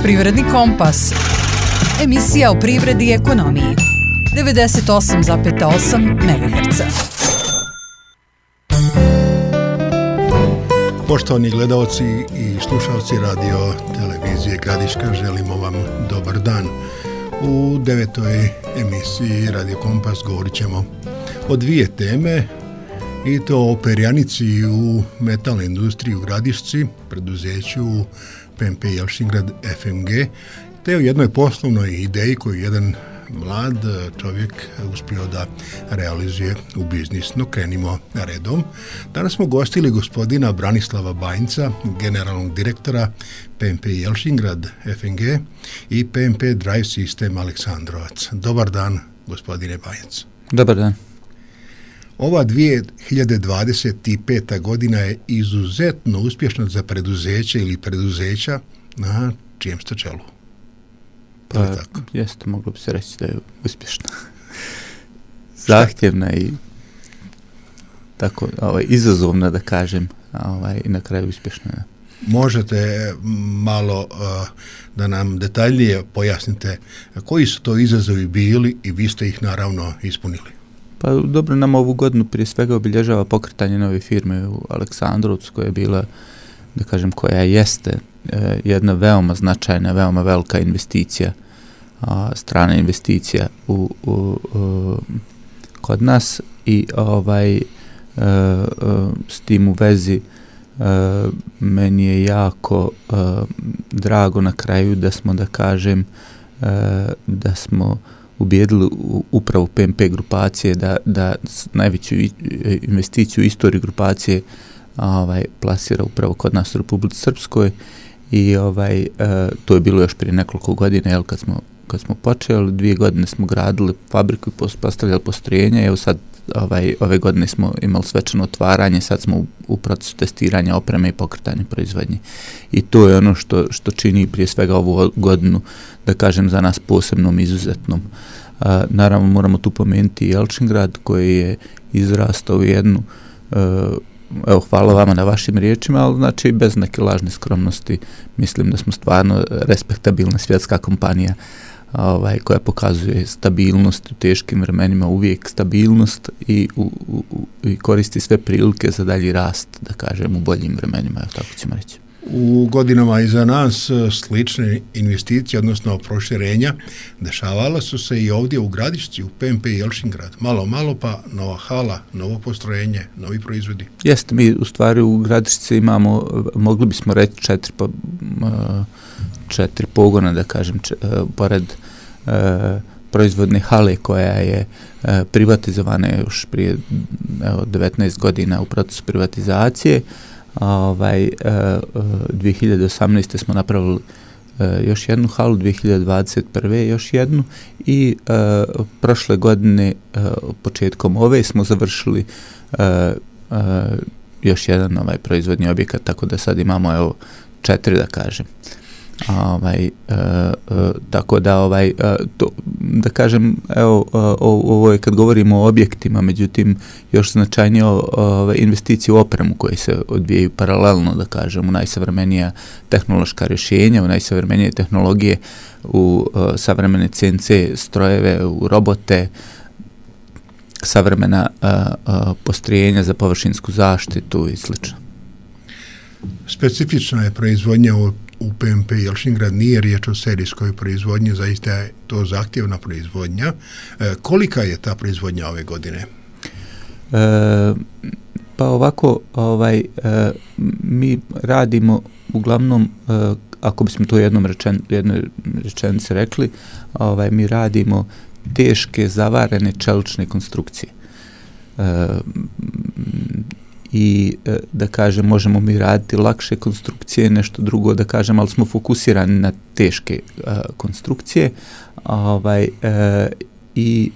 Privredni kompas. Emisija o privredi i ekonomiji. 98,8 MHz. Poštovani gledalci i slušalci radio televizije Gradiška, želimo vam dobar dan. U 9. emisiji Radio Kompas govorit ćemo o dvije teme, i to o perjanici u metalnoj industriji u Gradišci, preduzeću PMP Jelšingrad FMG, te o jednoj poslovnoj ideji koju jedan mlad čovjek uspio da realizuje u biznis. No, krenimo redom. Danas smo gostili gospodina Branislava Banjca, generalnog direktora PMP Jelšingrad FMG i PMP Drive System Aleksandrovac. Dobar dan, gospodine Banjac. Dobar dan. Ova 2025. godina je izuzetno uspješna za preduzeće ili preduzeća na čijem ste čelu. Pa, jeste, moglo bi se reći da je uspješna. Zahtjevna i tako izazovna, da kažem, i na kraju uspješna. Možete malo da nam detaljnije pojasnite koji su to izazovi bili i vi ste ih naravno ispunili? Pa dobro, nam ovu godinu prije svega obilježava pokretanje nove firme u Aleksandrovcu, koja je bila, da kažem, koja jeste jedna veoma značajna, veoma velika investicija, strana investicija kod nas i s tim u vezi meni je jako drago na kraju da smo, da kažem, da smo ubijedili upravo PMP grupacije da najveću investiciju u istoriji grupacije plasira upravo kod nas u Republici Srpskoj i to je bilo još prije nekoliko godina, kad smo počeli, 2 godine smo gradili fabriku i postavljali postrojenja, evo sad ove godine smo imali svečano otvaranje, sad smo u procesu testiranja opreme i pokretanja proizvodnje. I to je ono što čini prije svega ovu godinu, da kažem, za nas posebnom, izuzetnom. Naravno moramo tu pomenuti Jelšingrad koji je izrastao u jednu, evo, hvala vama na vašim riječima, ali znači bez neke lažne skromnosti mislim da smo stvarno respektabilna svjetska kompanija koja pokazuje stabilnost u teškim vremenima, uvijek stabilnost i koristi sve prilike za dalji rast, da kažem, u boljim vremenima, tako ćemo reći. U godinama iza nas slične investicije, odnosno proširenja, dešavala su se i ovdje u Gradišci, u PMP Jelšingrad. Malo pa nova hala, novo postrojenje, novi proizvodi. Jeste, mi u stvari u Gradišci imamo, mogli bismo reći, 4 pogona, da kažem, pored proizvodne hale koja je privatizovana još prije 19 godina u procesu privatizacije. 2018. smo napravili još jednu halu, 2021. još jednu i prošle godine početkom ove smo završili još jedan proizvodni objekat, tako da sad imamo 4, da kažem. Tako da to, da kažem, evo, ovo je kad govorimo o objektima, međutim još značajnije investicije u opremu koje se odvijaju paralelno, da kažem, u najsavremenija tehnološka rješenja, u najsavremenije tehnologije, u savremene CNC strojeve, u robote, savremena postrojenja za površinsku zaštitu i sl. Specifična je proizvodnja u PMP Jelšingrad, nije riječ o serijskoj proizvodnji, zaista je to zahtjevna proizvodnja. Kolika je ta proizvodnja ove godine? Pa ovako, mi radimo uglavnom, ako bismo to jednoj rečenici rekli, mi radimo teške zavarene čelične konstrukcije. I da kažem, možemo mi raditi lakše konstrukcije, nešto drugo, da kažem, ali smo fokusirani na teške konstrukcije i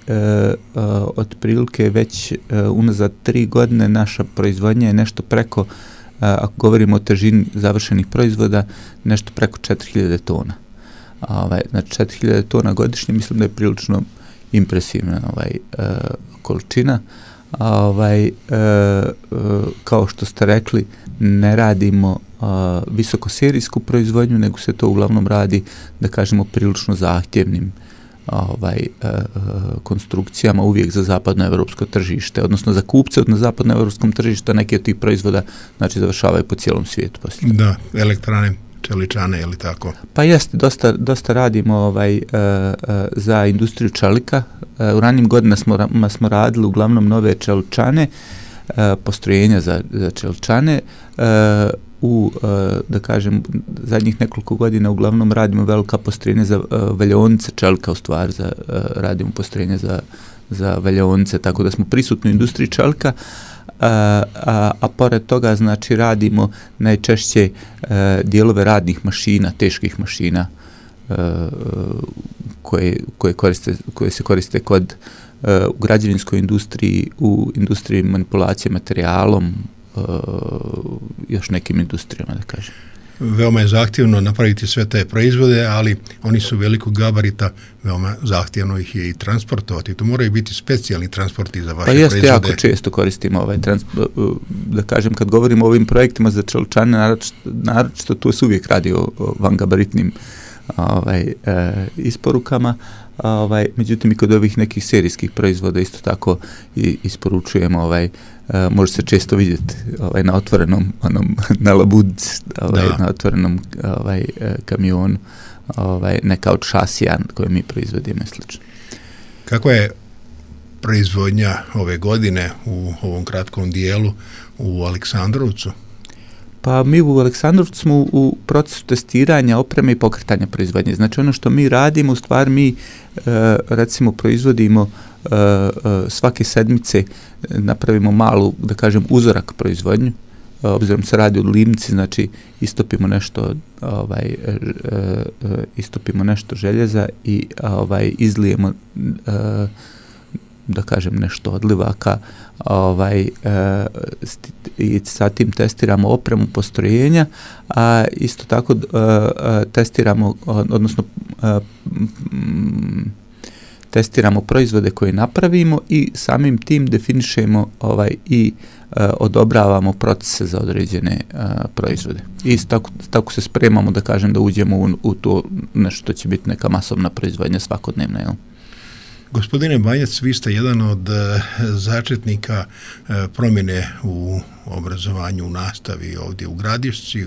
otprilike već unazad 3 godine naša proizvodnja je nešto preko, ako govorimo o težini završenih proizvoda, nešto preko 4000 tona. Znači 4000 tona godišnje, mislim da je prilično impresivna količina. kao što ste rekli, ne radimo visokoserijsku proizvodnju, nego se to uglavnom radi, da kažemo, prilično zahtjevnim konstrukcijama, uvijek za zapadnoevropsko tržište, odnosno za kupce na zapadnoevropskom tržištu, neki od tih proizvoda znači završavaju po cijelom svijetu poslije. Da, elektrane, čeličane, ili tako? Pa jeste, dosta radimo za industriju čelika. U ranijim godinama smo radili uglavnom nove čeličane, postrojenja za čeličane. Da kažem, zadnjih nekoliko godina uglavnom radimo velika postrojenja za valjaonice čelika, u stvari radimo postrojenja za valjaonice, tako da smo prisutni u industriji čelika, a pored toga znači radimo najčešće dijelove radnih mašina, teških mašina koje se koriste u građevinskoj industriji, u industriji manipulacije materijalom, još nekim industrijama, da kažem. Veoma je zahtjevno napraviti sve te proizvode, ali oni su velikog gabarita, veoma zahtjevno ih je i transportovati. To moraju biti specijalni transporti za vaše proizvode. Pa jako često koristimo da kažem, kad govorimo o ovim projektima za čeličane, naročito tu se uvijek radi o vangabaritnim isporukama, međutim i kod ovih nekih serijskih proizvoda isto tako isporučujemo, može se često vidjeti na otvorenom na labudci, na otvorenom kamionu, neka od šasija koje mi proizvodimo i slično. Kako je proizvodnja ove godine u ovom kratkom dijelu u Aleksandrovcu? Pa mi u Aleksandrovcu smo u procesu testiranja opreme i pokretanja proizvodnje. Znači ono što mi radimo, u stvari mi recimo proizvodimo svake sedmice, napravimo malu, da kažem, uzorak proizvodnju. Obzirom se radi o livnici, znači istopimo nešto željeza i izlijemo da kažem nešto odlivaka, i sa tim testiramo opremu postrojenja, a isto tako testiramo, odnosno testiramo proizvode koje napravimo i samim tim definišemo i odobravamo procese za određene proizvode. I tako se spremamo, da kažem, da uđemo u to nešto što će biti neka masovna proizvodnja svakodnevna, jel? Gospodine Banjac, vi ste jedan od začetnika promjene u obrazovanju, u nastavi ovdje u Gradišci,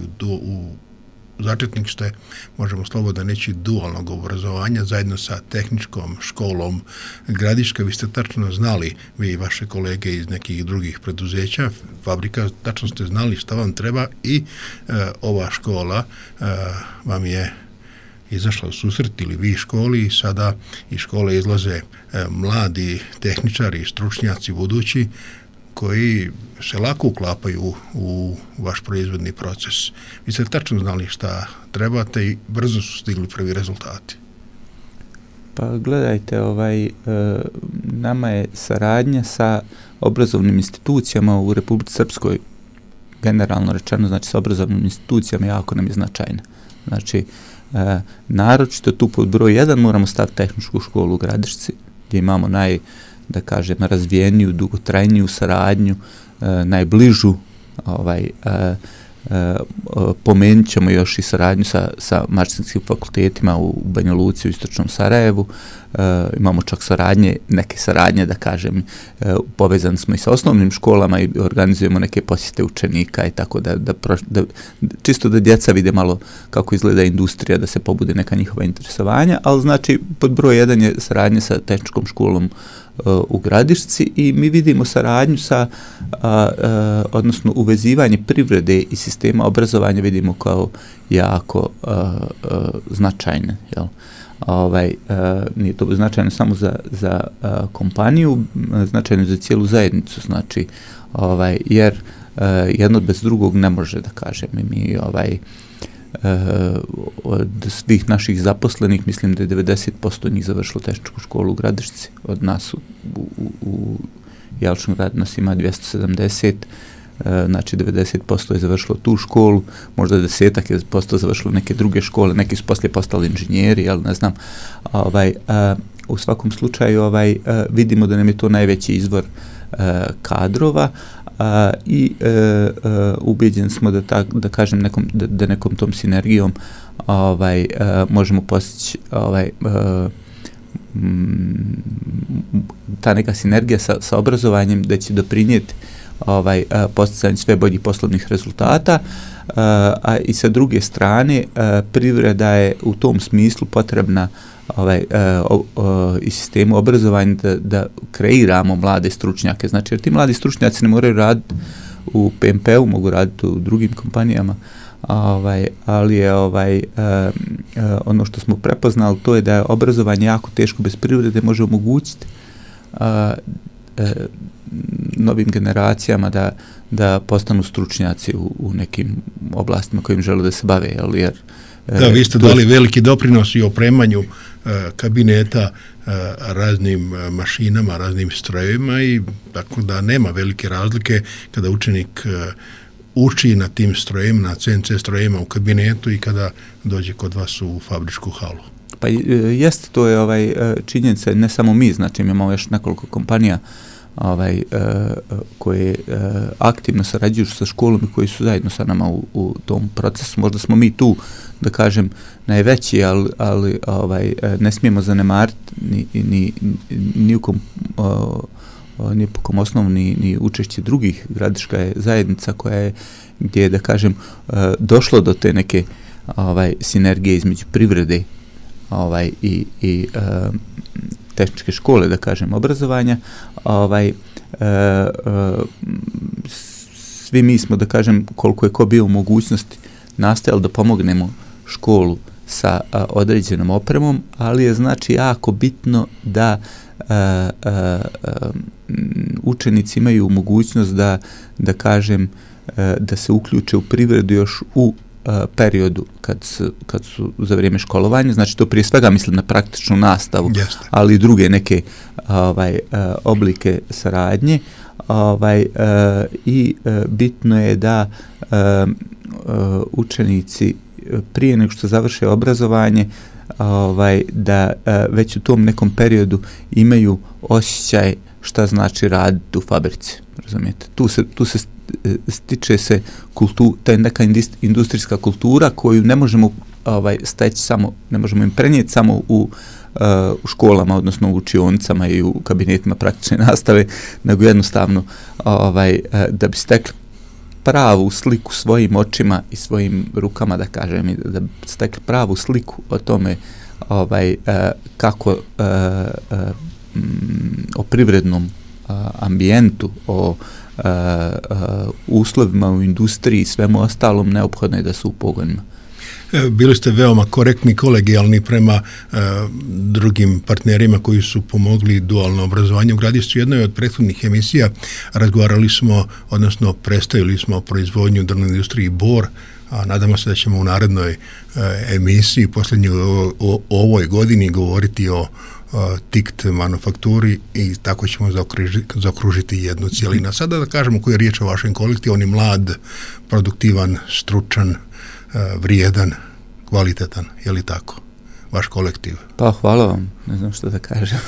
začetnik ste, možemo slobodno reći, dualnog obrazovanja zajedno sa tehničkom školom Gradiška. Vi ste tačno znali, vi i vaše kolege iz nekih drugih preduzeća, fabrika, tačno ste znali šta vam treba i ova škola vam je izašla u susret, ili vi školi, i sada iz škole izlaze mladi tehničari i stručnjaci budući koji se lako uklapaju u vaš proizvodni proces. Vi ste tačno znali šta trebate i brzo su stigli prvi rezultati. Pa gledajte, nama je saradnja sa obrazovnim institucijama u Republici Srpskoj, generalno rečeno, znači sa obrazovnim institucijama, jako nam je značajna. Znači, naročito tu pod broj 1 moramo staviti tehničku školu u Gradišci, gdje imamo da kažem, razvijeniju, dugotrajniju saradnju, najbližu, pomenut ćemo još i saradnju sa mašinskim fakultetima u Banja Luci, u Istočnom Sarajevu. Imamo čak neke saradnje, da kažem, povezani smo i sa osnovnim školama i organizujemo neke posjete učenika i tako da čisto da djeca vide malo kako izgleda industrija, da se pobude neka njihova interesovanja, ali znači pod broj 1 je saradnja sa tehničkom školom u Gradišci i mi vidimo saradnju odnosno uvezivanje privrede i sistema obrazovanja vidimo kao jako značajne, jel? Nije to značajno samo za kompaniju, značajno za cijelu zajednicu, znači, jer jedno bez drugog ne može, da kažem. Mi od svih naših zaposlenih, mislim da je 90% njih završilo tehničku školu u Gradišci. Od nas u Jelčnom gradu nas ima 270, znači 90% je završilo tu školu, možda 10% je završilo neke druge škole, neki su poslije postali inženjeri, ali ne znam. U svakom slučaju vidimo da nam je to najveći izvor kadrova i ubeđeni smo da kažem da nekom tom sinergijom možemo postići ta neka sinergija sa obrazovanjem da će doprinijeti postizanju sve boljih poslovnih rezultata, a i sa druge strane privreda je u tom smislu potrebna i sistemu obrazovanja da kreiramo mlade stručnjake. Znači, jer ti mladi stručnjaci ne moraju raditi u PMP-u, mogu raditi u drugim kompanijama, ali je ono što smo prepoznali, to je da je obrazovanje jako teško bez privrede, može omogućiti novim generacijama da postanu stručnjaci u nekim oblastima kojim žele da se bave. Jer da, vi ste dali veliki doprinos i opremanju kabineta raznim mašinama, raznim strojevima, i tako da nema velike razlike kada učenik uči na tim strojevima, na CNC strojevima u kabinetu i kada dođe kod vas u fabričku halu. Pa jeste, to je činjenica, ne samo mi, znači imamo još nekoliko kompanija koje aktivno sarađuju sa školom i koji su zajedno sa nama u tom procesu. Možda smo mi tu, da kažem, najveći, ali ne smijemo zanemariti ni po kom osnovu ni učešće drugih. Gradiška je zajednica koja je, gdje je, da kažem, došlo do te neke sinergije između privrede i tehničke škole, da kažem, obrazovanja. Svi mi smo, da kažem, koliko je ko bio u mogućnosti, nastojali da pomognemo školu sa određenom opremom, ali je znači jako bitno da učenici imaju mogućnost da kažem, da se uključe u privredu još u periodu kad su za vrijeme školovanja, znači to prije svega mislim na praktičnu nastavu, ali i druge neke oblike saradnje, i bitno je da učenici prije nego što završe obrazovanje da već u tom nekom periodu imaju osjećaj šta znači raditi u fabrici, razumijete? Tu se stiče se ta neka industrijska kultura koju ne možemo steći samo, ne možemo im prenijeti samo u školama, odnosno u učionicama i u kabinetima praktične nastave, nego jednostavno da bi stekli pravu sliku svojim očima i svojim rukama, da kažem, da bi stekli pravu sliku o tome kako o privrednom ambijentu, o uslovima u industriji i svemu ostalom, neophodno je da su u pogonima. Bili ste veoma korektni, kolegijalni prema drugim partnerima koji su pomogli dualno obrazovanje u Gradišcu. Jednoj od prethodnih emisija razgovarali smo, odnosno predstavili smo proizvodnju drvne industriji Bor, a nadamo se da ćemo u narednoj emisiji, posljednjoj o ovoj godini, govoriti o TICT manufakturi i tako ćemo zaokružiti jednu cijelinu. Sada da kažemo koji je riječ o vašem kolektivu, on je mlad, produktivan, stručan, vrijedan, kvalitetan, je li tako? Vaš kolektiv. Pa hvala vam, ne znam što da kažem.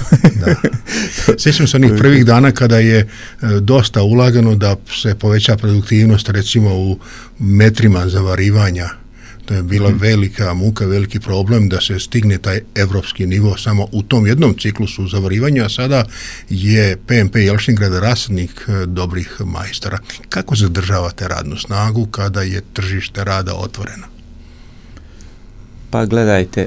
Da. Sjećam se onih prvih dana kada je dosta ulagano da se poveća produktivnost, recimo u metrima zavarivanja. To je bila velika muka, veliki problem da se stigne taj evropski nivo samo u tom jednom ciklusu zavarivanja, a sada je PMP Jelšingrad rasadnik dobrih majstora. Kako zadržavate radnu snagu kada je tržište rada otvoreno? Pa gledajte,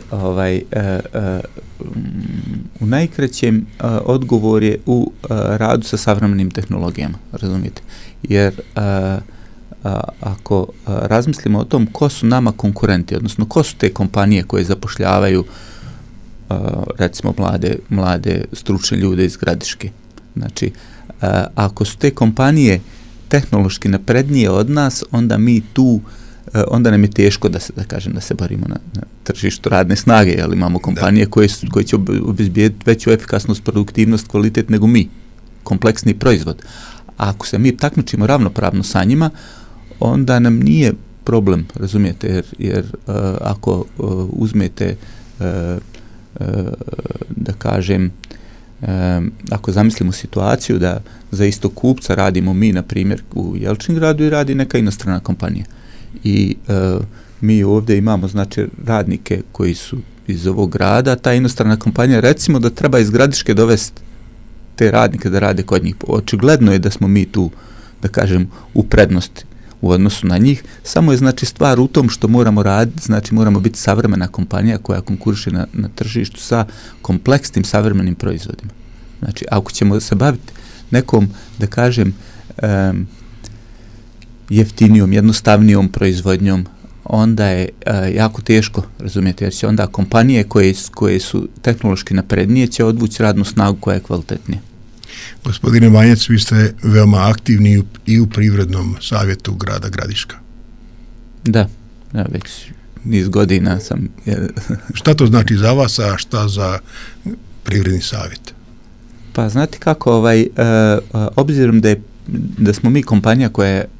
u najkraćem odgovor je u radu sa savremenim tehnologijama, razumijete? Jer ako razmislimo o tom ko su nama konkurenti, odnosno ko su te kompanije koje zapošljavaju recimo mlade stručne ljude iz Gradiške. Znači, ako su te kompanije tehnološki naprednije od nas, onda mi tu onda nam je teško da se borimo na tržištu radne snage, jer imamo kompanije koje će obezbijediti veću efikasnost, produktivnost, kvalitet nego mi, kompleksni proizvod. A ako se mi takmičimo ravnopravno sa njima, onda nam nije problem, razumijete, jer ako uzmete, da kažem, ako zamislimo situaciju da za istog kupca radimo mi, na primjer, u Jelčingradu i radi neka inostrana kompanija. I mi ovdje imamo, znači, radnike koji su iz ovog grada, ta inostrana kompanija, recimo da treba iz Gradiške dovesti te radnike da rade kod njih. Očigledno je da smo mi tu, da kažem, u prednosti u odnosu na njih, samo je, znači, stvar u tom što moramo raditi, znači moramo biti savremena kompanija koja konkuriše na tržištu sa kompleksnim savremenim proizvodima. Znači, ako ćemo se baviti nekom, da kažem, jeftinijom, jednostavnijom proizvodnjom, onda je jako teško, razumijete, jer će onda kompanije koje su tehnološki naprednije će odvući radnu snagu koja je kvalitetnija. Gospodine Banjac, vi ste veoma aktivni i u Privrednom savjetu grada Gradiška. Da, ja već niz godina sam. Šta to znači za vas, a šta za Privredni savjet? Pa znate kako, obzirom da smo mi kompanija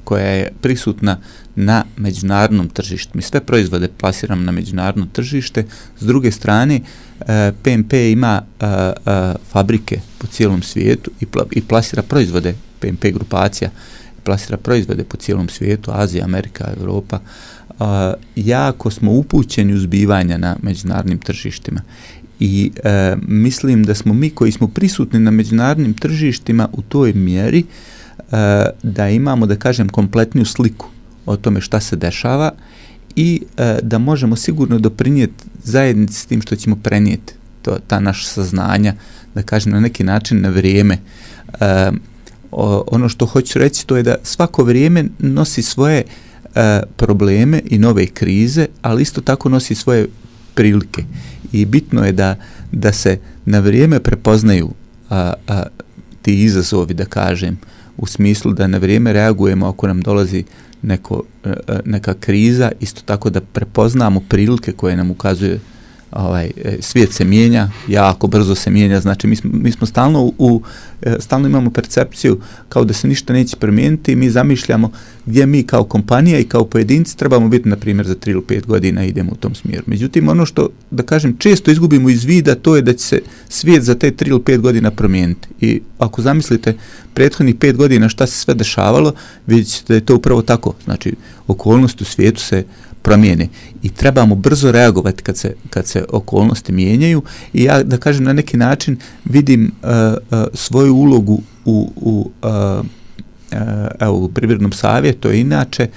koja je prisutna na međunarodnom tržištu. Mi sve proizvode plasiramo na međunarodno tržište. S druge strane, PMP ima fabrike po cijelom svijetu i plasira proizvode, PMP grupacija plasira proizvode po cijelom svijetu, Azija, Amerika, Europa. Jako smo upućeni u zbivanja na međunarodnim tržištima. I mislim da smo mi koji smo prisutni na međunarodnim tržištima u toj mjeri da imamo, da kažem, kompletniju sliku o tome šta se dešava i da možemo sigurno doprinijeti zajednici s tim što ćemo prenijeti ta naša saznanja, da kažem, na neki način na vrijeme. Ono što hoću reći to je da svako vrijeme nosi svoje probleme i nove krize, ali isto tako nosi svoje prilike. I bitno je da se na vrijeme prepoznaju ti izazovi, da kažem, u smislu da na vrijeme reagujemo ako nam dolazi neka kriza, isto tako da prepoznamo prilike koje nam ukazuje svijet se mijenja, jako brzo se mijenja, znači mi smo stalno imamo percepciju kao da se ništa neće promijeniti i mi zamišljamo gdje mi kao kompanija i kao pojedinci trebamo biti, na primjer, za 3 ili 5 godina idemo u tom smjeru. Međutim, ono što, da kažem, često izgubimo iz vida, to je da će se svijet za te 3 ili 5 godina promijeniti. I ako zamislite prethodnih 5 godina šta se sve dešavalo, vidjet ćete da je to upravo tako. Znači, okolnosti u svijetu se promijene i trebamo brzo reagovati kad se okolnosti mijenjaju i ja, da kažem, na neki način vidim svoju ulogu u Privrednom savjetu, inače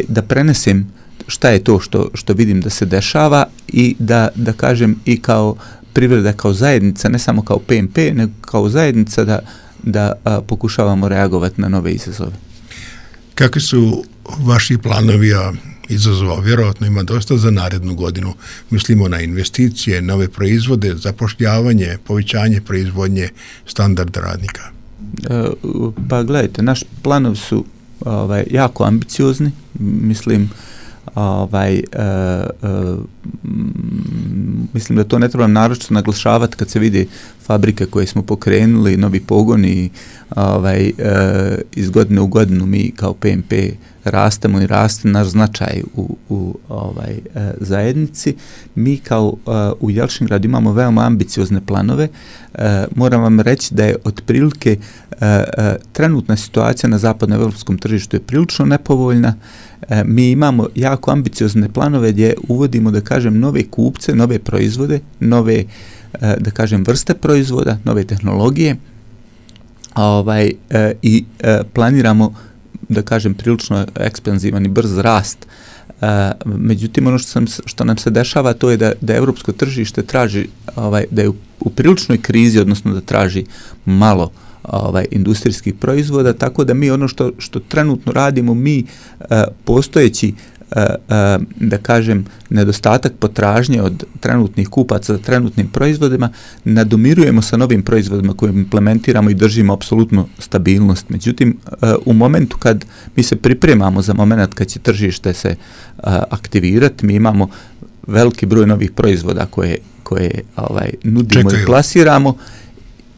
da prenesem šta je to što vidim da se dešava i da kažem i kao privreda, kao zajednica, ne samo kao PMP, nego kao zajednica da pokušavamo reagovati na nove izazove. Kakvi su vaši planovi, izazova vjerojatno ima dosta za narednu godinu? Mislimo na investicije, nove proizvode, zapošljavanje, povećanje proizvodnje, standard radnika. Pa gledajte, naši planovi su jako ambiciozni, mislim, mislim da to ne treba naročito naglašavati kad se vidi fabrike koje smo pokrenuli, novi pogoni, iz godine u godinu mi kao PMP rastemo i raste naš značaj u zajednici. Mi kao u Jelčingradu imamo veoma ambiciozne planove. Moram vam reći da je otprilike trenutna situacija na zapadnoevropskom tržištu je prilično nepovoljna. Mi imamo jako ambiciozne planove gdje uvodimo, da kažem, nove kupce, nove proizvode, nove, da kažem, vrste proizvoda, nove tehnologije i planiramo, da kažem, prilično ekspanzivan i brz rast. Međutim, ono što nam se dešava to je da europsko tržište traži, da je u priličnoj krizi, odnosno da traži malo industrijskih proizvoda, tako da mi ono što trenutno radimo, mi postojeći, da kažem, nedostatak potražnje od trenutnih kupaca za trenutnim proizvodima nadomirujemo sa novim proizvodima koje implementiramo i držimo apsolutno stabilnost. Međutim, u momentu kad mi se pripremamo za moment kad će tržište se aktivirati, mi imamo veliki broj novih proizvoda koje nudimo i plasiramo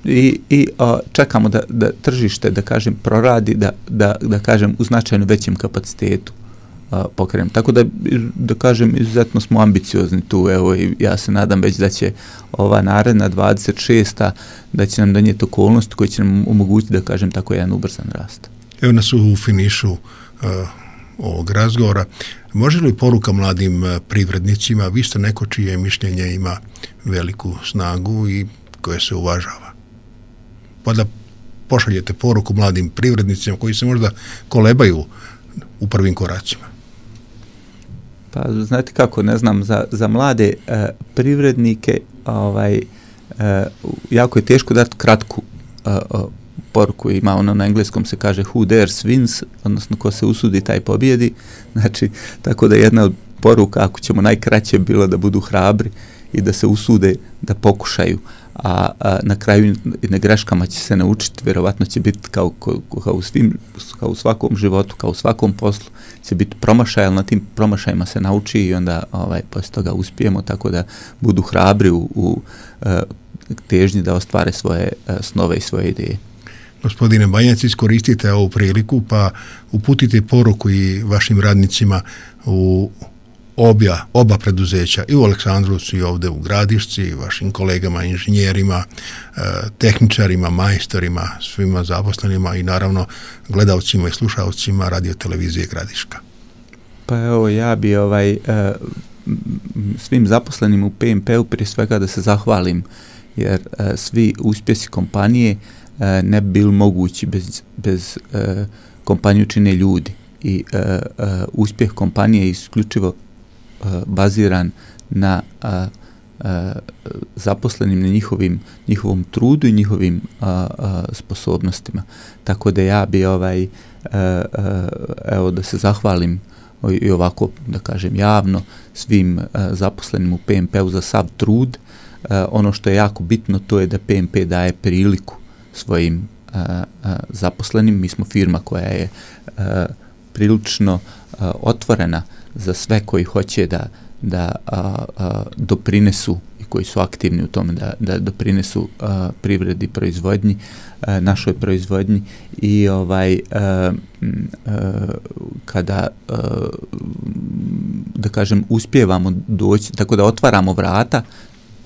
i čekamo da tržište, da kažem, proradi, da kažem, u značajno većem kapacitetu pokrenemo. Tako da kažem, izuzetno smo ambiciozni tu, evo, i ja se nadam već da će ova naredna 26. da će nam donijeti okolnosti koji će nam omogućiti, da kažem tako, jedan ubrzan rast. Evo nas u finišu ovog razgovora. Može li poruka mladim privrednicima, vi ste neko čije mišljenje ima veliku snagu i koje se uvažava? Pa da pošaljete poruku mladim privrednicima koji se možda kolebaju u prvim koracima. Pa znate kako, ne znam, za mlade privrednike jako je teško dati kratku poruku. Ima ono na engleskom se kaže who dares wins, odnosno ko se usudi taj pobjedi. Znači, tako da jedna od poruka, ako ćemo najkraće, bilo da budu hrabri i da se usude da pokušaju, a na kraju na greškama će se naučiti, vjerovatno će biti kao u svakom životu, kao u svakom poslu, će biti promašaj, ali na tim promašajima se nauči i onda poslije toga uspijemo, tako da budu hrabri u težnji da ostvare svoje snove i svoje ideje. Gospodine Banjac, iskoristite ovu priliku pa uputite poruku i vašim radnicima u oba preduzeća, i u Aleksandrovcu i ovdje u Gradišci, i vašim kolegama, inženjerima, tehničarima, majstorima, svima zaposlenima i naravno gledalcima i slušalcima radiotelevizije Gradiška. Pa evo, ja bi svim zaposlenim u PMP-u prije svega da se zahvalim, jer svi uspjesi kompanije ne bi bili mogući bez kompaniju čine ljudi i uspjeh kompanije je isključivo baziran na zaposlenim, na njihovom trudu i njihovim sposobnostima. Tako da ja bi evo da se zahvalim i ovako, da kažem, javno svim zaposlenim u PMP-u za sav trud. Ono što je jako bitno, to je da PMP daje priliku svojim zaposlenim. Mi smo firma koja je prilično otvorena za sve koji hoće da doprinesu i koji su aktivni u tome da doprinesu privredi, proizvodnji, našoj proizvodnji i kada da kažem uspijevamo doći, tako da otvaramo vrata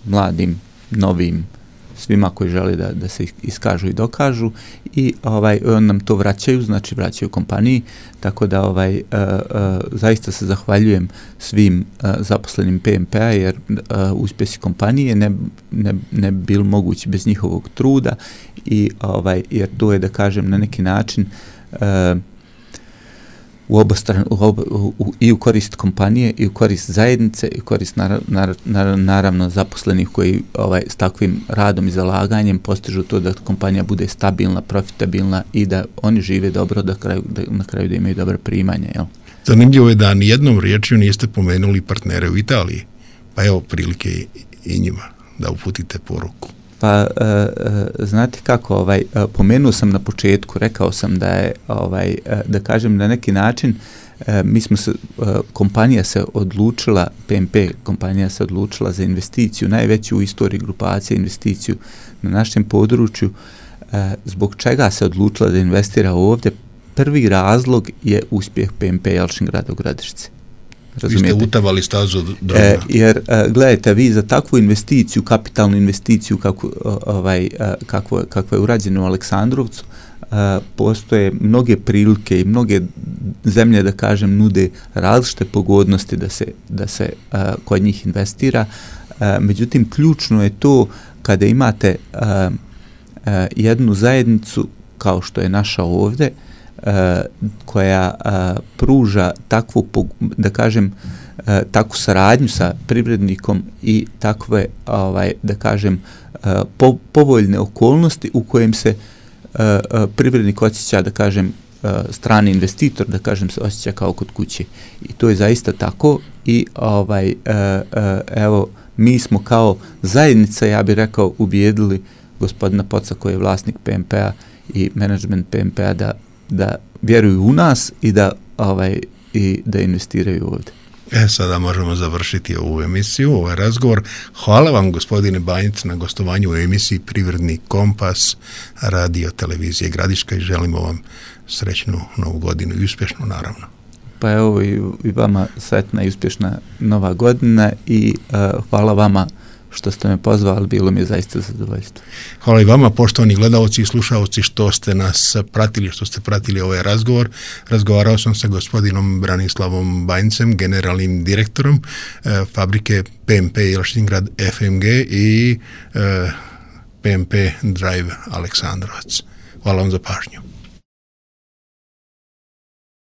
mladim, novim, svima koji žele da se iskažu i dokažu i on nam to vraćaju, znači vraćaju kompaniji, tako da zaista se zahvaljujem svim zaposlenim PMP-a, jer uspjesi kompanije ne bi bili mogući bez njihovog truda i jer to je, da kažem, na neki način i u korist kompanije i u korist zajednice i u korist naravno zaposlenih koji s takvim radom i zalaganjem postižu to da kompanija bude stabilna, profitabilna i da oni žive dobro, na kraju da imaju dobra primanja. Jel? Zanimljivo je da nijednom riječju niste pomenuli partnere u Italiji, pa evo prilike i njima da uputite poruku. Pa znate kako, pomenuo sam na početku, rekao sam da je, da kažem na neki način, kompanija se odlučila, PMP kompanija se odlučila za investiciju, najveću u istoriji grupacije investiciju na našem području. Zbog čega se odlučila da investira ovdje? Prvi razlog je uspjeh PMP Jalšingrada u Gradišci. Razumijete? Vi ste utavali stazu jer gledajte, vi za takvu investiciju, kapitalnu investiciju kakva je urađena u Aleksandrovcu, postoje mnoge prilike i mnoge zemlje, da kažem, nude različite pogodnosti da se kod njih investira. Međutim, ključno je to kada imate jednu zajednicu kao što je naša ovdje, koja pruža takvu, da kažem, takvu saradnju sa privrednikom i takve, da kažem, povoljne okolnosti u kojem se privrednik osjeća, da kažem, strani investitor, da kažem, se osjeća kao kod kuće. I to je zaista tako i evo, mi smo kao zajednica, ja bih rekao, ubijedili gospodina Poca koji je vlasnik PMP-a i menadžment PMP-a da vjeruju u nas i da investiraju ovdje. Sada možemo završiti ovu emisiju, ovaj razgovor. Hvala vam, gospodine Banjac, na gostovanju u emisiji Privredni kompas radio televizije Gradiška i želimo vam srećnu novu godinu i uspješnu, naravno. Pa evo i vama sretna i uspješna nova godina i hvala vama što ste me pozvali, bilo mi je zaista zadovoljstvo. Hvala i vama, poštovani gledalci i slušalci, što ste nas pratili, što ste pratili ovaj razgovor. Razgovarao sam sa gospodinom Branislavom Banjcem, generalnim direktorom fabrike PMP Jelšingrad FMG i PMP Drive Aleksandrovac. Hvala vam za pažnju.